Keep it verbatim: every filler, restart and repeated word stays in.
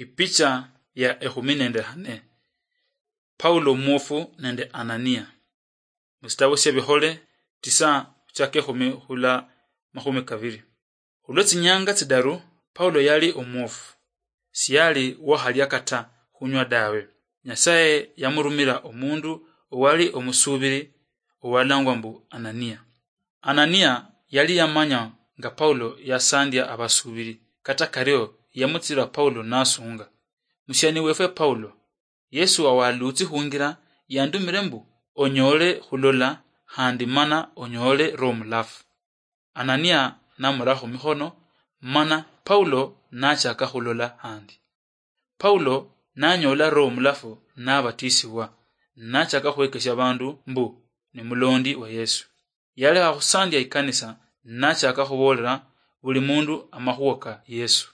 Ipicha ya ekhumi nende hane. Paulo omwofu nende Anania. Musitabo siebihole tisa, khuchaka ekhumi khula makhumi kabiri. Khulwe tsinyanga tsidaru, Paulo yali omwofu. Siyali wahalya kata khunywa dawe. Nyasaye yamurumira omundu owali omusubiri owalangwa mbu Anania. Anania yali yamanya nga Paulo yasandia abasubiri, kata kario yamutsira Paulo nasunga. Musiani wefwe Paulo, Yesu awalutsi khungira yandumire mbu, "Onyoole khulola handi mana onyoole Roho Mulafu." Anania namurakho mikhono, mana Paulo nachaka khulola handi. Paulo nanyoola Roho Mulafu nabatisibwa, nachaka khwekesha bandu mbu ni mulondi wa Yesu. Yalekha khusandia ikanisa, nachaka khuboolera buli mundu amakhuwa ka Yesu.